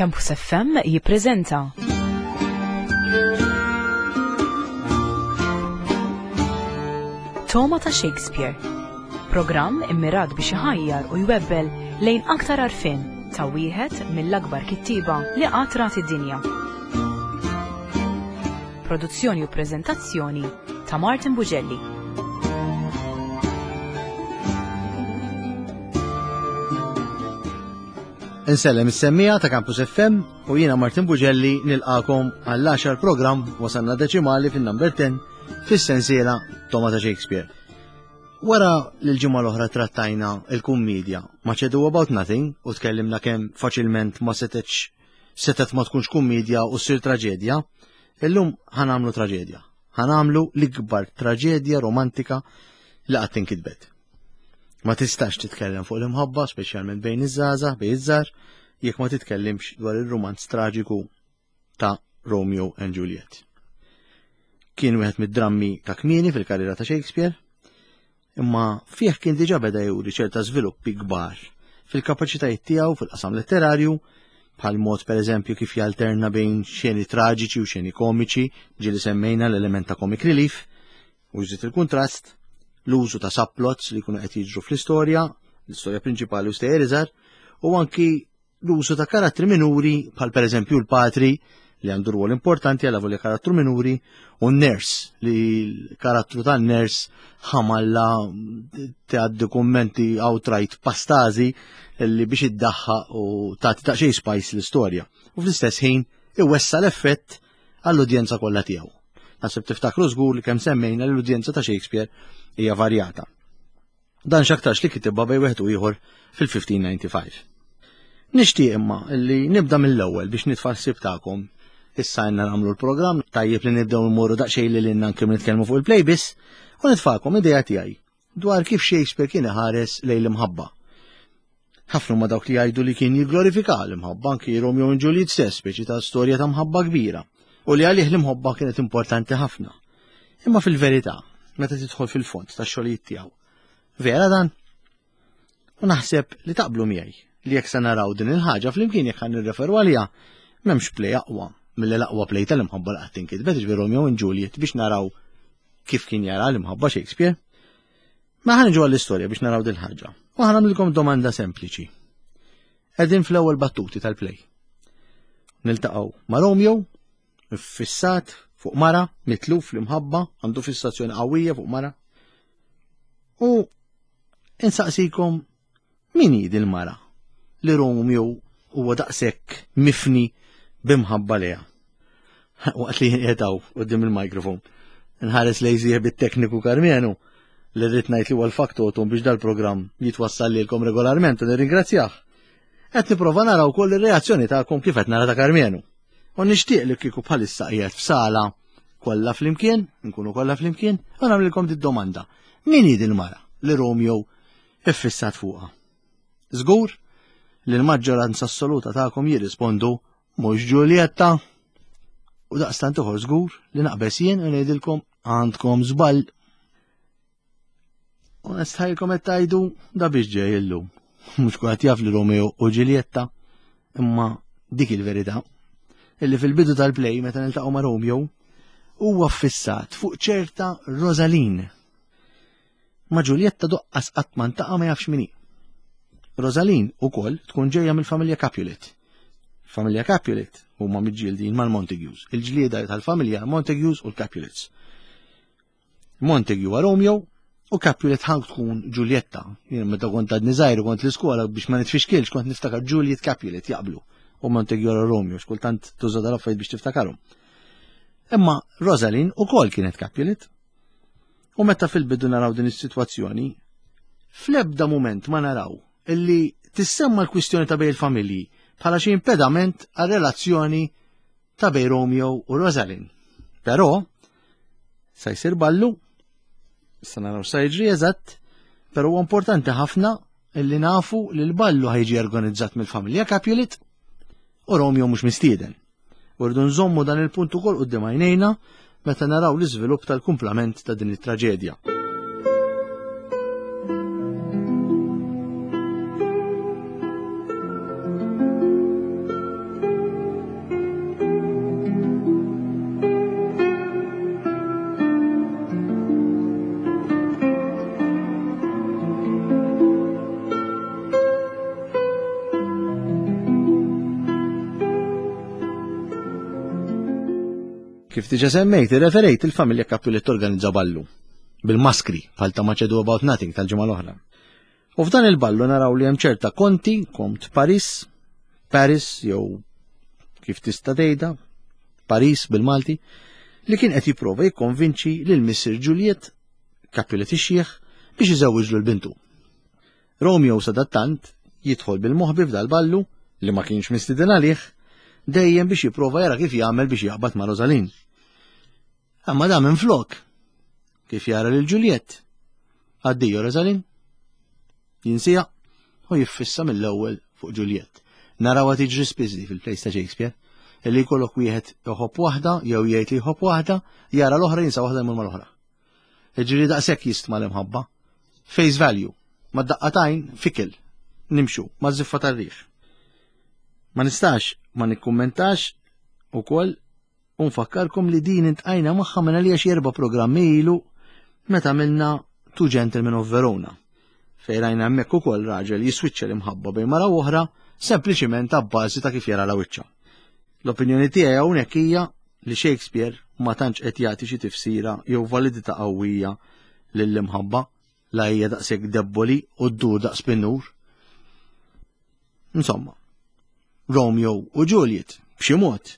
Campus FM jippreżenta Toma ta' Shakespeare. Programm immirat biex iħajjar u jwebbel lejn aktar għarfien ta' wieħed mill-akbar kittieba li qatt rat id-dinja. Produzzjoni u preżentazzjoni ta' Martin Bugelli. Insellem is-semmija ta' Campus FM u jiena Martin Bugelli nilqakom għall-10 programm wasalna deċimali fin-number 10 fis-sensiela Toma ta' Shakespeare. Wara li l-ġimgħa l-oħra trattajna il-kummedja ma' Ado About Nothing u tkellimna kemm faċilment ma setgħetx setet ma tkunx kummedja u ssir traġedja, illum ħanamlu traġedja. Ħanamlu l-ikbar traġedja romantika li qatt inkitbet. Ma tistax titkellem fuq l-imħabba, speċjalment bejn iż-żgħażagħ, bejn iż-żgħar, jekk ma titkellimx dwar ir-rumanz traġiku ta' Romeo and Juliet. Kien wieħed mid-drammi ta' kmieni fil-karriera ta' Shakespeare, imma fih kien diġà beda juri ċerta żviluppi kbar fil-kapaċitajiet tiegħu fil-qasam letterarju, bħal mod pereżempju kif jalterna bejn xeni traġiċi u xeni komiċi, ġieli semmejna l-element ta' comic relief, u jżid il-kuntrast, l-użu ta' subplots li jkunu qed jiġru fl-istorja, l-istorja prinċipali u stejjer iżgħar, u anki l-użu ta' karattri minuri bħal pereżempju l-patri li għandu rwol importanti għal volja karattru minuri u n-ners li l-karattru tan ners ħamalla tgħaddi kummenti outright pastazi li biex iddaħħa u tagħti daqsxejn spice l-istorja. U fl-istess ħin iwessa l-effett għall-udjenza kollha tiegħu. Naħseb tiftakru żgur li kemm semmejna li l-udjenza ta' Shakespeare hija varjata. Dan x'aktarx li kitibha bejn wieħed u ieħor fil-1595. Nixtieq imma li nibda mill-ewwel biex nitfa' ħsieb tagħkom. Issa għandna nagħmlu l-programm, tajjeb li nibdew immorru daqsxejn li lilna anke nitkellmu fuq il-play biss, u nitfagħkom idea tiegħi dwar kif Shakespeare kien iħares lejn l-imħabba. Ħafna huma dawk li jgħidu li kien jigglorifika l-imħabba anki Romeo u Juliet stess, speċi ta' storja ta' mħabba kbira, u li għalih l-imħobba kienet importanti ħafna. Imma fil-verità, meta tidħol fil-fond tax-xogħlijiet tiegħu, vera dan? U naħseb li taqblu miegħi li jekk se naraw din il-ħaġa flimkien jekk ħan nirreferu għaliha, m'hemmx play aqwa milli l-aqwa play tal-imħabba li qatt inkitbet, ġifieri Romeo and Juliet biex naraw kif kien jara l-imħabba Shakespeare. Ma ħa niġu għall-istorja biex naraw din ħaġa. U ħa nagħmlilkom domanda sempliċi. Qegħdin fl-ewwel battuti tal-play. Niltaqgħu ma' Romeo, fissat fuq mara, mitluf l-imħabba, għandu fissazzjoni qawwija fuq mara. U insaqsikom Min hi dil-mara li Romeo huwa daqshekk mifni b'imħabba lejha? Waqt li jien qiegħed hawn quddiem il-microphone, nħares lejn sieħbi t-tekniku Karmenu li rrid ngħid li huwa l-faktotum biex dal-programm jitwassal lilkom regolarment u nirringrazzjah. Qed nipprova nara wkoll ir-reazzjoni tagħkom kif qed nara ta' Karmenu. U nixtieq li kieku bħalissa qiegħed f'sala kollha flimkien, nkunu kollha flimkien, u nagħmlilkom did-domanda. Min hi dil-mara li Romeo iffissat fuqha. Żgur li l-maġġoranza assoluta tagħkom jirrispondu mhux Ġuljetta. U daqstant uħor żgur li naqbeż jien u ngħidilkom għandkom żball. U nistħajlkom qed tgħidu da biex ġej illum. Mhux kulħadd jaf li Romeo u Ġuljetta, imma dik il-verità. Illi fil-bidu tal-play meta niltaqgħu ma' Romeo huwa ffissat fuq ċerta Rosaline Ma' Ġuljetta doqqas qatt ma ntaqa' ma jafx min hi. Rosaline ukoll tkun ġejja mill-familja Capulet. Familja Capulet huma miġġieldin mal-Montagues. Il-ġlieda tal-familja Montagues u l-Capulets. Montague huwa Romeo u Capulet ħank tkun Ġuljetta. Jien meta kont għadni żgħir kont l-iskola biex ma nitfixkilx kont niftakar Juliet Capulet jaqblu u Montague u Romeo xkultant tuża dal-affarijiet biex tiftakarhom. Imma Rosalind ukoll kienet Capulet U meta fil-bidu naraw din is-sitwazzjoni, fl-ebda mument ma naraw illi tissemma l-kwistjoni ta' bejn il-familji bħala xi impedament għal relazzjoni ta' bejn Romeo u Rosalind. Però, sa jsir ballu, sa naraw sa jiġri eżatt, però huwa importanti ħafna illi nafu li l-ballu ħajġi organizzat mill-familja Capulet u Romeo mhux mistieden. U rridu nżommu dan il-punt ukoll quddiem għajnejna meta naraw l-iżvilupp tal-kumplament ta' din it-traġedja. Kif diġa semmejt, irreferejt il-familja Capulet torganizza ballu bil-maskri bħal ta' Much Ado About Nothing tal-ġimgħa l-oħra. U f'dan il-ballu naraw li hemm ċerta konti, kont Paris, Paris jew kif tista' tgħidha, Paris bil-Malti, li kien qed jipprova jikkonvinċi lil Missier Juliet, Capulet ix-xiħ, biex iżewwiġlu l-bintu. Romeo sadattant jidħol bil-moħbi f'dal-ballu li ma kienx mistieden għalih, dejjem biex jipprova jara kif jagħmel biex jaqbad ma' Rosalin. Imma da minflok, kif jara lil Juliet. Addio Rosalin. Jinsija u jiffissa mill-ewwel fuq Juliet. Narawha tiġri spiss fil-plejs ta' Shakespeare, illi jkollok wieħed iħobb waħda jew jgħid li jħobb waħda, jara l-oħra jinsa waħda jmur mal-oħra. Jiġifieri daqshekk jistma l-imħabba. Face value, ma daqqatajn fikil, nimxu, ma żiffa tar-riħ. Ma nistax ma nikkummentax ukoll u nfakkarkom li din intqajna magħha minn għalija xi erba' programmi ilu meta għamilna Two Gentlemen of Verona. Fejn rajna hemmhekk ukoll raġel jiswiċċa l-imħabba bejn mara oħra sempliċiment abbażi ta' kif jara la wiċċa. L-opinjoni tiegħi hawnhekk hija li Shakespeare ma tantx qed jagħti xi tifsira jew validità qawwija lill-imħabba la hija daqshekk debboli u ddur daqs pinnur. Insomma, Romeo u Juliet b'xi mod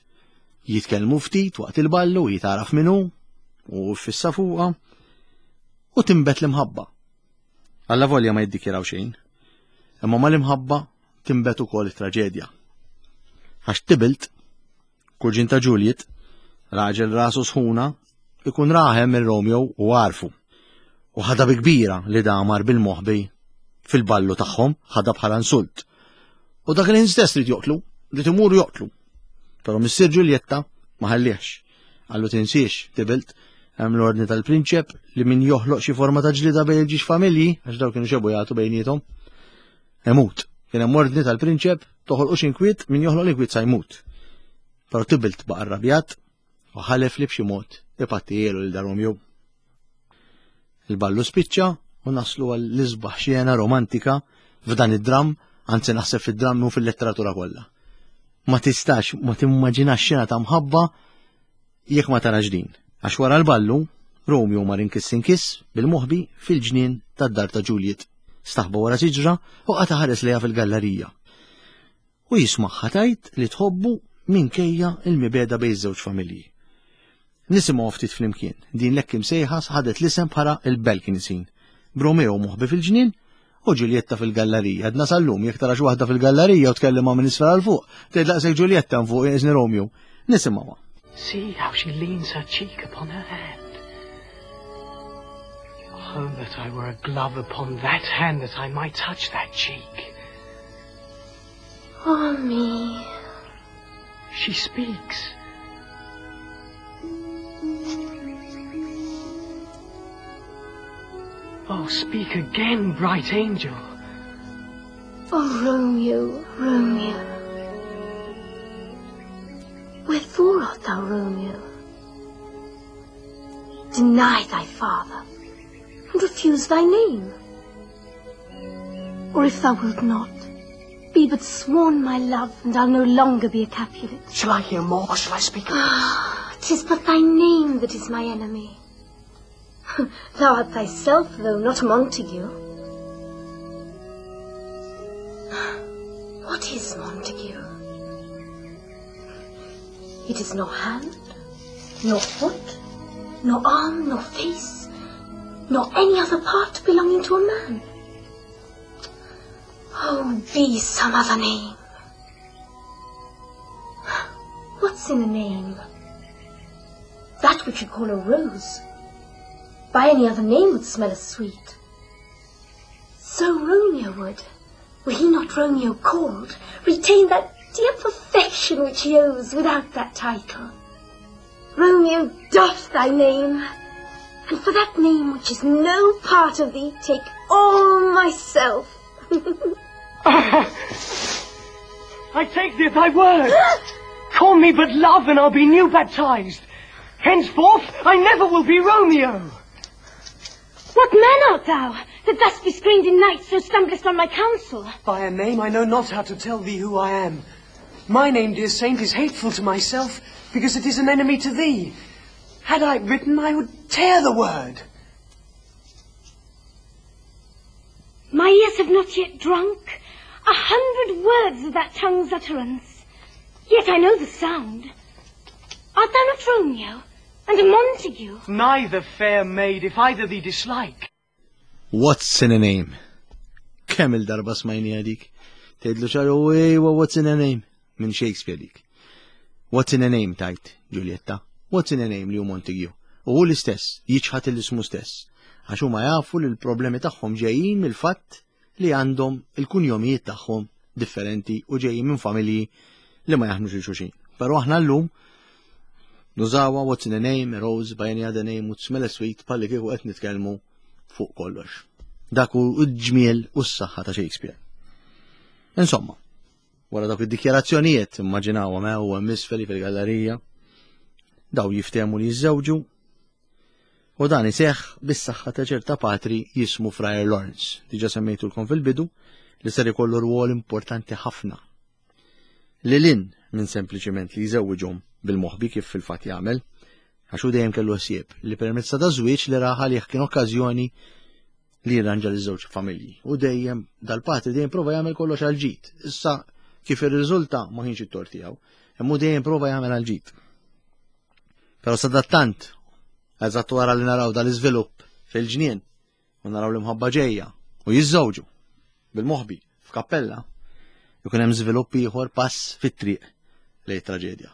jitkellmu ftit waqt il-ballu jitaraf minnu u fissa fuqha u timbet l-imħabba. Alla volja ma jiddikjaraw xejn, imma mal-imħabba timbet ukoll it-traġedja. Għax tibilt Kuġin ta' Juliet, raġel rasu sħuna, ikun raħem minn Romeo u għarfu. U ħadha bi kbira li damar bil-moħbi fil-ballu tagħhom, ħadha bħala insult. U dak il-ħin stess rid joqtlu, rid imur joqtlu. Però missier Ġuljetta ma ħallihx. Qallu tinsiex, Tibilt, hemm l-ordni tal-prinċep li min joħloq xi forma ta' ġlida bejn il-ġiex familji, għax daw kienu xebu jagħtu bejniethom, imut. Kien hemm ordni tal-prinċep toħolqux inkwiet min joħloq l-inkwiet sa jmut. Però Tibilt baqa' rrabjat u ħalef li b'xi mod ipattijielu lil dar Romeo. Il-ballu spiċċa u naslu għall-isbaħ xena romantika f'dan id-dramm, anzi naħseb fid-dramm u fil-letteratura kollha. Ma tistax ma timmaġinax xena ta' mħabba jekk ma tarax din. Għax wara l-ballu, Romeo mar inkiss inkiss bil-moħbi fil-ġnien tad-dar ta' Juliet. Staħba wara siġra u qata' ħares lejha fil-gallerija. U jismagħha tgħid li tħobbu minkejja l-mibegħda bejn iż-żewġ familji. Nisimgħu ftit flimkien, din l-hekk imsejħa ħadet l-isem bħala il-balcony scene. B'Romeo moħbi fil-ġnien u Ġuljetta fil-gallerija. Għadna sal-lum jekk tara xi waħda fil-gallerija u tkellimha minn isfel għal fuq, tgħid laqsek Ġuljetta hemm fuq iżni Romeo. Nisimgħuha. See how she leans her cheek upon her hand. Oh, that I were a glove upon that hand that I might touch that cheek. Oh, me. She speaks. Oh, speak again, bright angel. Oh, Romeo, Romeo. Wherefore art thou, Romeo? Deny thy father, and refuse thy name. Or if thou wilt not, be but sworn my love, and I'll no longer be a Capulet. Shall I hear more, or shall I speak of Ah, tis but thy name that is my enemy. Thou art thyself, though, not Montague. What is Montague? It is nor hand, nor foot, nor arm, nor face, nor any other part belonging to a man. Oh, be some other name. What's in a name? That which you call a rose, by any other name would smell as sweet. So Romeo would, were he not Romeo called, retain that dear perfection which he owes without that title. Romeo, doff thy name, and for that name which is no part of thee, take all myself. I take thee at thy word. Call me but love, and I'll be new baptized. Henceforth, I never will be Romeo. What man art thou, that thus bescreened in night so stumblest on my counsel? By a name I know not how to tell thee who I am. My name, dear saint, is hateful to myself, Because it is an enemy to thee. Had I written, I would tear the word. My ears have not yet drunk a hundred words of that tongue's utterance. Yet I know the sound. Art thou not Romeo and Montague? Neither, fair maid, if either thee dislike. What's in a name? Kemm il-darba smajni dik? Tgħidlu ċaru ejwa what's in a name? Minn Shakespeare dik. What's in a name tajt, Giulietta? What's in a name li hu Montague? U hu l-istess, jiċħat l-ismu stess. Għax huma jafu li l-problemi tagħhom ġejjin mill-fatt li għandhom il-kunjomijiet tagħhom differenti u ġejjin minn familji li ma jaħnux il xulxin. Però aħna llum nużawha what's in a name, a rose by any other name would smell sweet palli kieku qed nitkellmu fuq kollox. Dak hu l-ġmiel u s-saħħa ta' Shakespeare. Insomma, wara dawk id-dikjarazzjonijiet immaġinawhom eh, u hemm isfel fil-gallerija, daw jiftehmu li jiżżewġu U dan iseħħ bis-saħħa ta' ċerta patri jismu Friar Lawrence, diġa semmejtulkom fil-bidu, li ser ikollu rwol importanti ħafna. Lil hinn minn sempliċiment li jżewwiġhom bil-moħbi kif fil-fatt jagħmel, għax hu dejjem kellu ħsieb li permezz ta' żwieġ li raħal għalih kien okkażjoni li jirranġa li żewġ familji. U dejjem dal-patri dejjem prova jagħmel kollox għal ġid. Issa kif irriżulta ma kienx it-tort tiegħu, imma dejjem prova jagħmel għal ġid. Però sadattant, eżatt wara li naraw dal-iżvilupp fil-ġnien u naraw l-imħabba ġejja u jiżżewġu bil-moħbi f'kappella, ikun hemm żvilupp ieħor pass fit-triq lejn traġedja.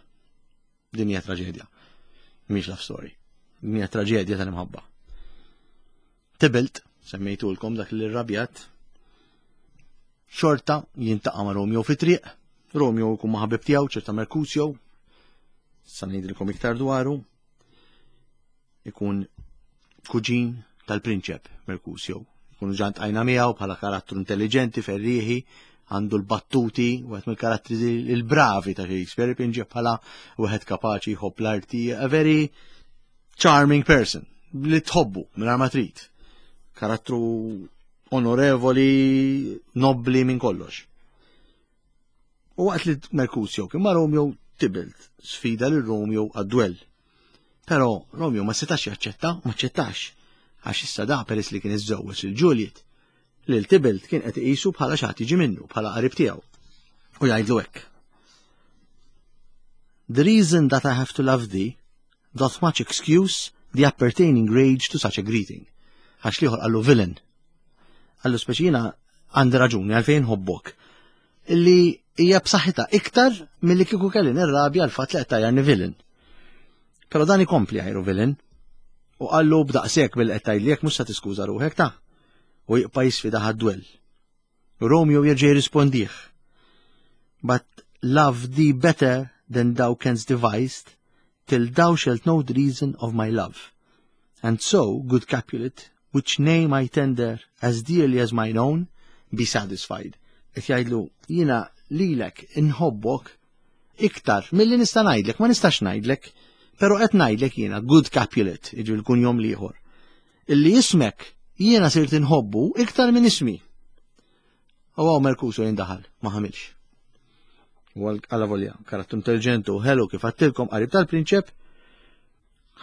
Din hija traġedja. Mhix love story. Din hija traġedja tal-imħabba. Tybalt, semmejtulkom dak li rrabjat, xorta jintaqa' ma' Romeo fi triq, Romeo jkun ma' ħabib tiegħu ċerta Mercutio, sa ngħidilkom iktar dwaru, ikun kuġin tal-prinċep Mercutio. Ikunu ġant għajna miegħu bħala karattru intelligenti, ferrieħi, għandu l-battuti, wieħed mill-karattri il-bravi ta' Shakespeare, pinġi bħala wieħed kapaċi jħobb l-arti, a very charming person li tħobbu minn ma trid. Karattru onorevoli, nobli minn kollox. U waqt li Mercutio kien ma' Romeo Tybalt sfida lil Romeo għad-dwell. Però Romeo ma setax jaċċetta, ma ċċettax, għax issa da peress li kien iżżewweġ lil Juliet, lil Tybalt kien qed iqisu bħala xi ħadd jiġi minnu, bħala qarib tiegħu. U jgħidlu hekk. The reason that I have to love thee doth much excuse the appertaining rage to such a greeting. Għax liħor qallu villain. Qallu speċi jiena għandi raġuni għalfejn ħobbok. Illi hija b'saħħitha iktar milli kieku kelli nirrabja l-fatt li qed tgħajjarni villain. Però dan ikompli għajru villain. U qallu b'daqshekk billi qed tgħidli jekk mhux se tiskuża ruħek ta' u jibqa' jisfida ħad-dwell. Romeo jerġa' jirrispondih. But love thee better than thou canst devised, till thou shalt know the reason of my love. And so, good Capulet, which name I tender as dearly as mine own, be satisfied. Qed jgħidlu, jiena lilek inħobbok iktar milli nista' ngħidlek, ma nistax ngħidlek, però qed ngħidlek jiena good Capulet, jiġi l-kunjom l-ieħor. Illi ismek jiena sirt inħobbu iktar minn ismi. U għaw Merkuso jindaħal, ma ħamilx. U għalla volja, karattru intelligenti u ħelu kif għattilkom qarib tal-prinċep,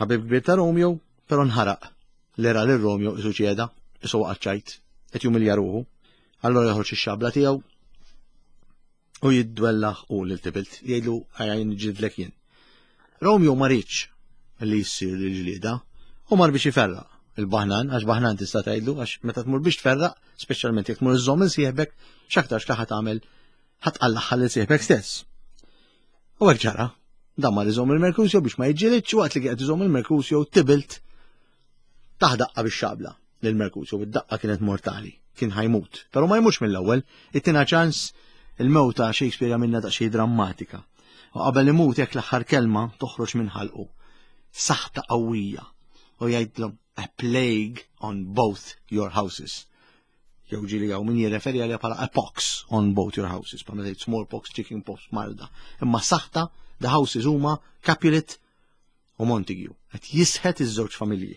ħabib kbir ta' Romeo, pero nħaraq li ra lil Romeo isu ċieda, isu waqgħat qed jumilja ruħu. Allora joħroġ ix-xabla tiegħu u jiddwellaħ u lil Tybalt, jgħidlu għajn ġidlek jien. Romeo ma riedx li jsir l-ġlieda u mar biex iferraq il-baħnan, għax baħnan tista' tgħidlu, għax meta tmur biex tferraq, speċjalment jekk tmur iżżomm il sieħbek, x'aktarx li ħa tagħmel ħa tqallaħħa lil sieħbek stess. U hekk ġara. Dan mar iżomm il-Merkusjo biex ma jiġġielidx waqt li qed iżomm il-Merkusjo Tybalt tah daqqa bix-xabla lil Mercutio, id-daqqa kienet mortali, kien ħajmut. Però ma jmutx mill-ewwel, ittina ċans il-mewta Shakespeare jagħmilna daqsxejn drammatika. U qabel imut jekk l-aħħar kelma toħroġ minn ħalqu. Saħta qawwija u jgħidlhom a plague on both your houses. Jew ġieli hawn min jirreferi għaliha bħala a pox on both your houses, bħala tgħid smallpox, chicken pox, marda. Imma saħta the houses huma Capulet u Montague qed jisħet iż-żewġ familji.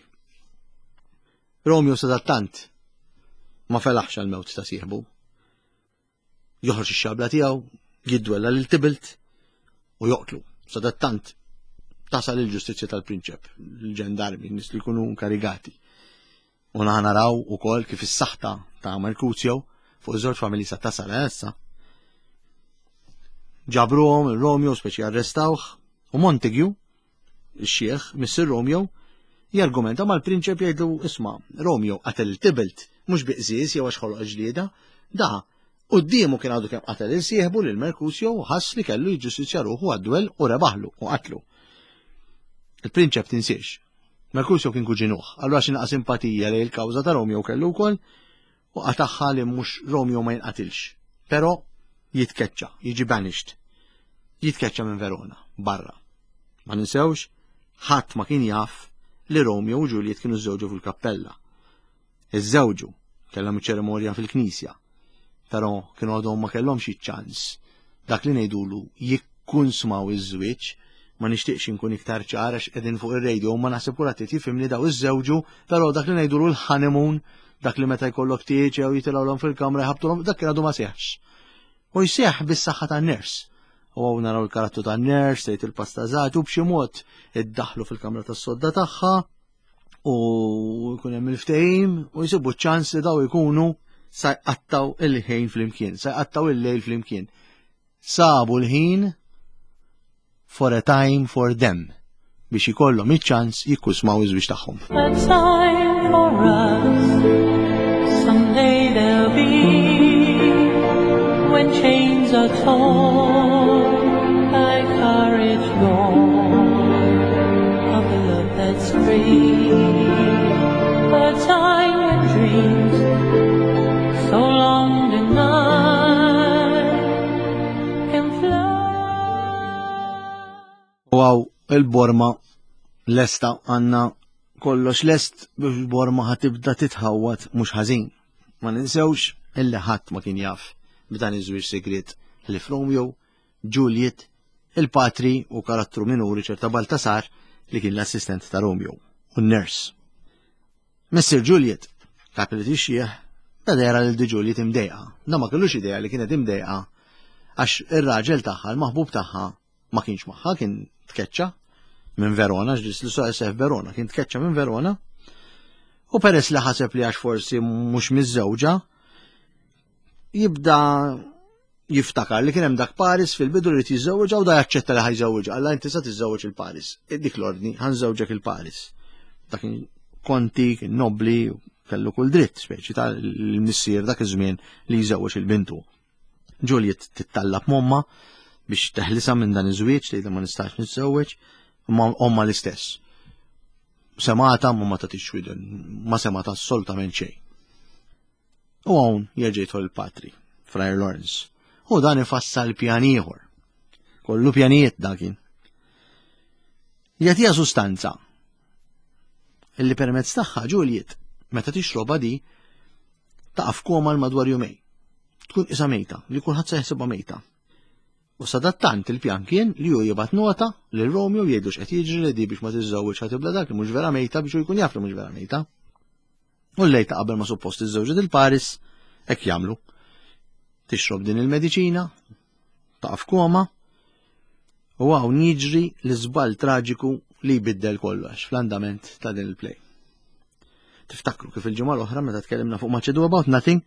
Romeo sadattant ma felaħx għal-mewt ta' sieħbu. Joħroġ ix-xabla tiegħu, jidwella lil Tybalt u joqtlu. Sadattant Tasal il-ġustizzja tal-prinċep, il-ġendarmi, nies li jkunu inkarigati. U naħa naraw ukoll kif is-saħta ta' Mercutio fuq iż-żewġ familji sa tasal eh, issa. Ġabruhom il-Romeo speċi arrestawh u Montague, ix-xieħ, missier Romeo, jargumenta mal-prinċep jgħidlu isma' Romeo qatel il-Tybalt mhux bi qżież jew għax ħoloq ġlieda, da quddiemu kien għadu kemm qatel il sieħbu lil Mercutio u ħass li kellu jiġġustizzja ruħu għad-dwell u rebaħlu u qatlu. Il-prinċep tinsiex. Mercutio kien kuġinuh, allura xi naqa' simpatija lejn il-kawża ta' Romeo kellu wkoll u qatagħha li mhux Romeo ma jinqatilx. Però jitkeċċa, jiġi banished. Jitkeċċa minn Verona, barra. Ma ninsewx, ħadd ma kien jaf li Romeo u Juliet kienu żewġu fil-kappella. Iżżewġu, kellhom iċ-ċerimonja fil-knisja, però kienu għadhom ma kellhomx iċ-ċans dak li ngħidulu jikkunsmaw iż-żwieġ, ma nixtieqx inkun iktar ċar għax qegħdin fuq ir-radio ma naħseb kulħadd qed jifhimni daw iżżewġu, però dak li ngħidulu l-honeymoon, dak li meta jkollok tieġ jew jitilgħulhom fil-kamra jħabbtulhom, dak kien għadu ma seħħx. U jseħħ bis-saħħa tan-ners. U hawn naraw il-karattru tan-ners, tgħid il-pastażat u b'xi mod iddaħħlu fil-kamra tas-sodda tagħha u jkun hemm il-ftehim u jsibu ċ-ċans li daw ikunu sa jqattaw il-ħin flimkien, sa jqattaw il-lejl flimkien. Sabu l-ħin for a time for them biex ikollhom iċ-ċans jikkusmaw iż-żwieġ tagħhom. A time for us, someday there'll be when chains are torn by courage born of a love that's free. A time when dreams so long denied can fly. U għaw il-borma lesta għanna kollox lest biex borma ħatibda titħawat mhux ħażin. Ma ninsewx illi ħadd ma kien jaf b'dan iż-żwieġ segret li f'Romeo, Juliet, il-patri u karattru minuri ċerta Baltasar li kien l-assistent ta' Romeo u n-nurse. Mr. Juliet, dak li tixjieħ, beda jara lil di Juliet imdejqa. Da ma kellux idea li kienet imdejqa għax ir-raġel tagħha, l-maħbub tagħha, ma kienx magħha, kien tkeċċa minn Verona, ġdis li seħ Verona, kien tkeċċa minn Verona. U peress li ħaseb li għax forsi mhux miżżewġa, jibda jiftakar li kien hemm dak Paris fil-bidu li jiżżewġa u da jaċċetta li ħajżewġa. Alla inti sa tiżżewġ il-Paris. Dik l-ordni, ħanżewġek il-Paris. Dak kien konti, kien nobli, kellu kull dritt, speċi ta' l-missier dak iż-żmien li jżewweġ il-bintu. Juliet tittallab momma biex teħlisa minn dan iż-żwieġ tgħidha ma nistax niżżewweġ, imma omma l-istess. Semata ma ma tagħtix widen, ma semata assolutament xejn. U hawn jerġa' jidħol il-patri, Friar Lawrence. U dan ifassal pjan ieħor. Kollu pjanijiet dan kien. Jagħtiha sustanza illi permezz tagħha Juliet meta tixroba di taqa' f'koma l madwar jumej. Tkun isa mejta, li kulħadd se jaħsibha mejta. U sadattant il-pjan kien li hu jibgħat nota lil Romeo jgħidu x'qed jiġri li di biex ma tiżżewweġ ħatibla dak li mhux vera mejta biex hu jkun jaf li mhux vera mejta. U l-lejl ta' qabel ma suppost iżżewġet il-Paris, hekk jagħmlu. Tixrob din il-mediċina, taqa' f'koma, u hawn jiġri l-iżball traġiku li jbiddel kollox fl-andament ta' din il-play. Tiftakru kif il-ġimgħa l-oħra meta tkellimna fuq Much Ado About Nothing,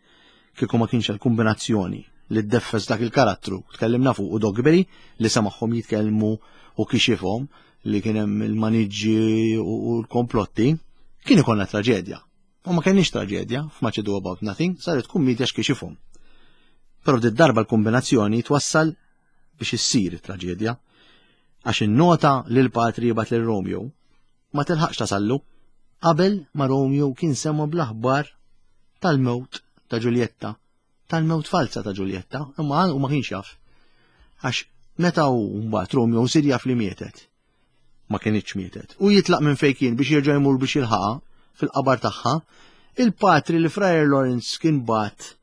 kieku ma kienx il-kombinazzjoni li ddeffes dak il-karattru, tkellimna fuq u Dogberry li samaħħom jitkellmu u kixifhom li kien hemm il-maniġġi u l-komplotti, kien ikollna traġedja. U ma kenniex traġedja f'Much Ado About Nothing, saret kummedja x'kixifhom. Però di darba l-kombinazzjoni twassal biex issir traġedja. Għax in-nota li l-patri jibgħat lil Romeo ma tilħaqx tasallu qabel ma Romeo kien sema bl-aħbar tal-mewt ta' Ġuljetta, tal-mewt falsa ta' Ġuljetta, imma u ma kienx jaf. Għax meta hu mbagħad Romeo sir jaf li mietet. Ma kienitx mietet. U jitlaq minn fejn kien biex jerġa' jmur biex jilħaqha fil-qabar tagħha, il-patri li Friar Lawrence kien bat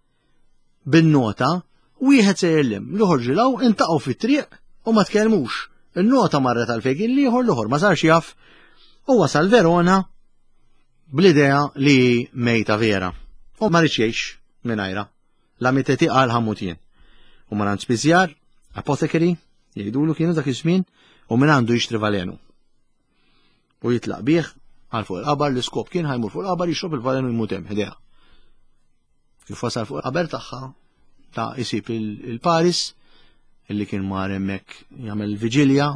bin-nota, wieħed sejjer lim, l-ieħor ġilaw, intaqgħu fit-triq u ma tkellmux. Il-nota marret għal fejn kien l-ieħor, l-ieħor ma sarx jaf u wasal Verona bl-idea li mejta vera. U ma rridx jgħix mingħajra. La miteti qal ħammut jien. U mar għand spiżjar, apothecary, jgħidulu kienu dak iż-żmien, u minn għandu jixtri valenu. U jitlaq bih għal fuq il-qabar l-iskop kien ħajmur fuq il-qabar jixrob il-valenu jmut hemm ħdejha. Kif wasal fuq il-qaber tagħha ta' isib il-Paris illi kien mar hemmhekk jagħmel viġilja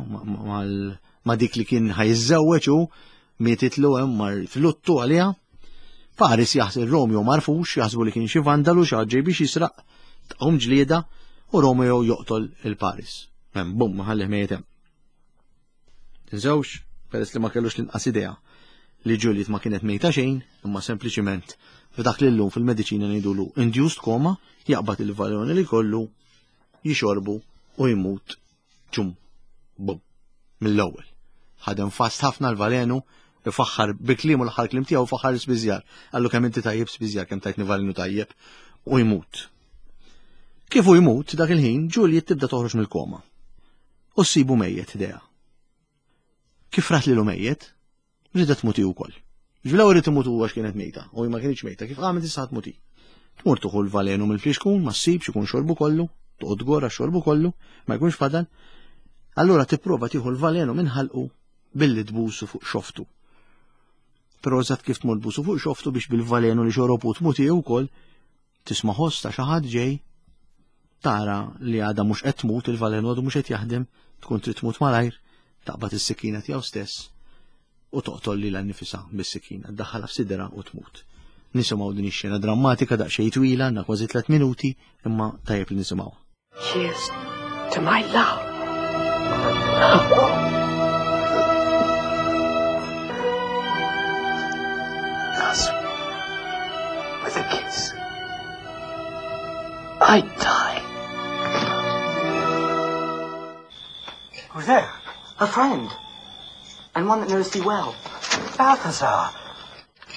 ma' dik li kien ħajżewweġ u mietitlu hemm mar fluttu għaliha. Paris jaħseb Romeo marfux, jaħsbu li kien xi vandalu xi ġej biex jisraq tqum ġlieda u Romeo joqtol il-Paris. Hemm bum ħallih mejjet hemm. Tinsewx, peress li ma kellux l-inqas idea li Juliet ma kienet mejta xejn, imma sempliċiment f'dak li llum fil-mediċina ngħidulu induced coma, jaqbad il-valjoni li kollu jixorbu u jmut ċum, bum, mill-ewwel. Ħadem fast ħafna l-valenu, ifaħħar bi kliemu l-aħħar kliem tiegħu faħħar spiżjar. Qallu kemm inti tajjeb spiżjar, kemm tajtni valenu tajjeb u jmut. Kif u jmut dak il-ħin, Juliet tibda toħroġ mill-koma. U ssibu mejjet ħdejha. Kif rat lilu mejjet, ridet tmut hi wkoll. Ġvelaw irid imut huwa kienet mejta, u ma kienx mejta, kif qamet issa tmut hi. Tmur tuħu l-valenu mill-flixkun, ma ssibx ikun xorbu kollu, toqgħod gora xorbu kollu, ma jkunx fadal. Allura tipprova tieħu l-valenu minn ħalqu billi tbusu fuq xoftu. Però eżatt kif tmur tbusu fuq xoftu biex bil-valenu li xorobu tmut hi wkoll, Tisma' ħoss ta' xi ħadd ġej, tara li għadha mhux qed tmut, il-valenu għadu mhux qed jaħdem, tkun trid tmut malajr, taqbad is-sikkina tiegħu stess u toqtol lilha nnifisha bis-sikkina, ddaħħalha f'sidra u tmut. Nisimgħu din ix-xena drammatika daqsxejn twila, għandna kważi tliet minuti, imma tajjeb li nisimgħuha. Cheers to my love. Thus, with a kiss, I die. Who's there? A friend. And one that knows thee well. Balthazar!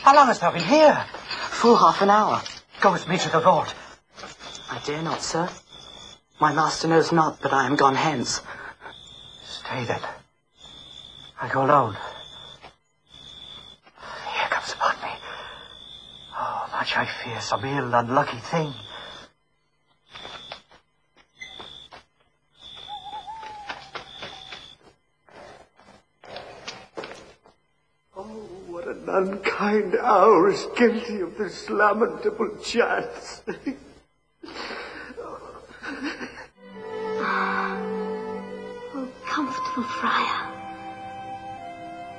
How long hast thou been here? Full half an hour. Go with me to the vault. I dare not, sir. My master knows not that I am gone hence. Stay then. I go alone. Here comes upon me. Oh, much I fear some ill, unlucky thing. Oh, what an unkind hour is guilty of this lamentable chance. Oh, comfortable friar.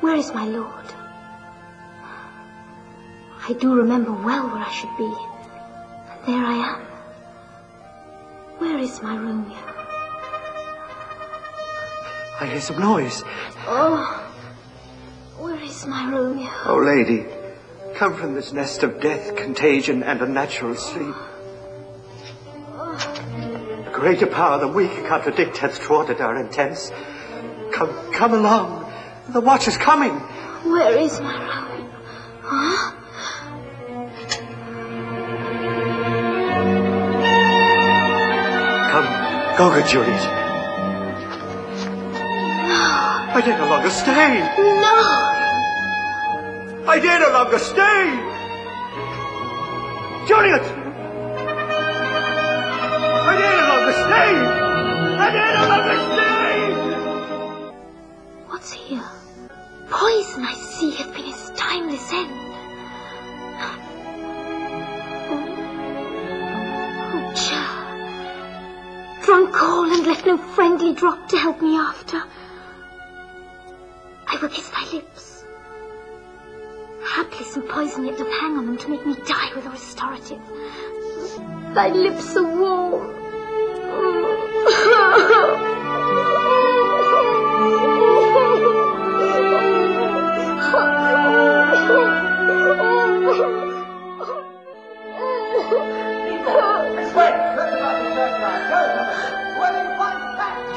Where is my lord? I do remember well where I should be, and there I am. Where is my Romeo? I hear some noise. Oh, where is my Romeo? Oh, lady, come from this nest of death, contagion, and unnatural sleep. A greater power than we can contradict hath thwarted our intents. Come, come along. The watch is coming. Where is my Romeo? Huh? Come, go, good Juliet. No. I dare no longer stay. No. I dare no longer stay. Juliet! I dare no longer stay! I dare no longer stay! What's here? Poison, I see, hath been his timeless end. Oh, churl. Drunk all and left no friendly drop to help me after. I will kiss thy lips. Haply some poison yet doth hang on them to make me die with a restorative. Thy lips are warm.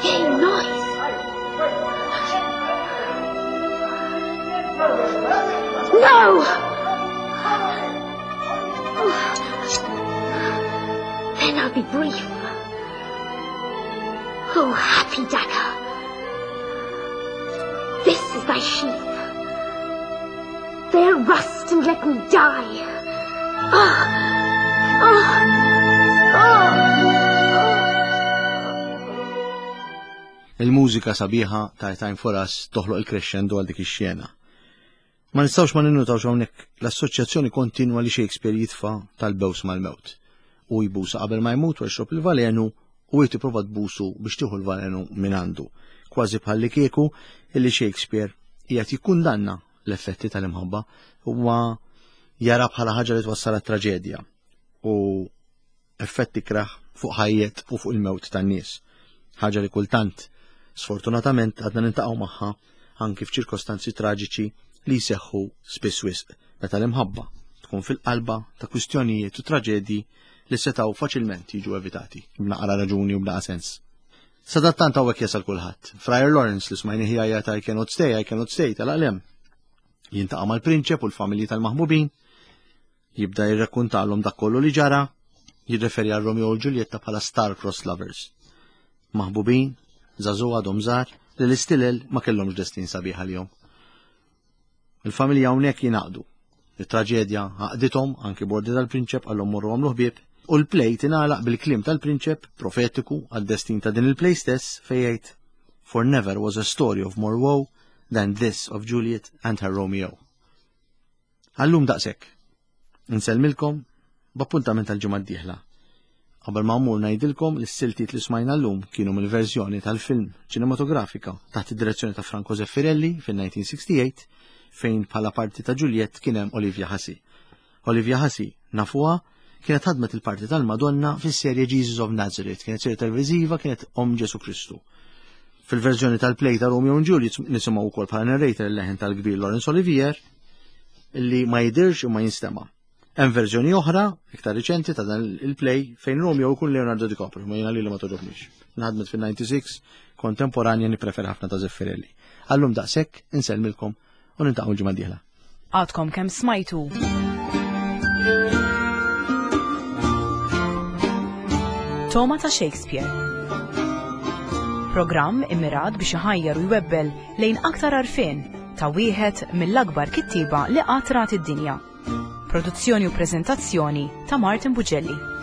Yea, noise. No! Then I'll be brief. Oh, happy dagger. This is thy sheath. There rust and let me die. Ah! Ah! Ah! Il-mużika sabiħa ta' Time for Us toħloq il-crescendo għal dik ix-xena. Ma nistgħux ma ninnutawx hawnhekk l-assoċjazzjoni kontinwa li Shakespeare jitfa' tal-bews mal-mewt. Hu jbusa qabel ma jmut u jxrob il-valenu u hi tipprova tbusu biex tieħu l-valenu minn għandu. Kważi bħallikieku illi Shakespeare qiegħed jikkundanna l-effetti tal-imħabba huwa jara bħala ħaġa li twassal għat-traġedja u effett ikrah fuq ħajjet u fuq il-mewt tan-nies. Ħaġa li kultant, sfortunatament, għadna nintaqgħu magħha anki f'ċirkostanzi traġiċi li jseħħu spiss wisq meta l-imħabba tkun fil-qalba ta' kwistjonijiet u traġedji li setgħu faċilment jiġu evitati b'naqra raġuni u b'naqa sens. Sadattant hawnhekk jasal kulħadd. Friar Lawrence li smajni jgħajjat I cannot stay, I cannot stay tal-qalem. Jintaqa' mal-prinċep u l-familji tal-maħbubin, Jibda jirrakkuntalhom dak kollu li ġara, jirreferi għal Romeo u Ġuljetta bħala star-crossed lovers. Maħbubin, żagħżugħ għadhom żgħar, li l-istilel ma kellhomx destin sabiħ għalihom. Il-familja hawnhekk jingħaqdu. It-traġedja għaqdithom anki bordi tal-prinċep għallhom morru għamlu ħbieb u l-play tingħalaq bil-kliem tal-prinċep profetiku għad-destin ta' din il-play stess fejn jgħid For never was a story of more woe than this of Juliet and her Romeo. Għallum daqshekk. Insellmilkom b'appuntament għall-ġimgħa d-dieħla. Qabel ma mmur ngħidilkom li s-siltiet li smajna llum kienu mill-verżjoni tal-film ċinematografika taħt id-direzzjoni ta' Franco Zeffirelli fil-1968 fejn bħala parti ta' Juliet kien hemm Olivia Hussey. Olivia Hussey nafuha kienet ħadmet il-parti tal-Madonna fis-serje Jesus of Nazareth, kienet serje televiżiva kienet Om Ġesu Kristu. Fil-verżjoni tal-play ta' Romeo and Juliet nisimgħu wkoll bħala narrator il-leħen tal-kbir Laurence Olivier li ma jidirx u ma jinstema'. Hemm verżjoni oħra, iktar riċenti ta' dan il-play fejn Romeo jkun Leonardo DiCaprio, ma jiena li ma toġobniex. Nħadmet fil-96, kontemporanja nippreferi ħafna ta' Zeffirelli. Għallum daqshekk insellmilkom u nintaqgħu l-ġimgħa d-dieħla. Għadkom kemm smajtu. Toma ta' Shakespeare. Programm immirat biex iħajjar u jwebbel lejn aktar għarfien ta' wieħed mill-akbar kittieba li qatt rat id-dinja. Produzzjoni u preżentazzjoni ta' Martin Bugelli.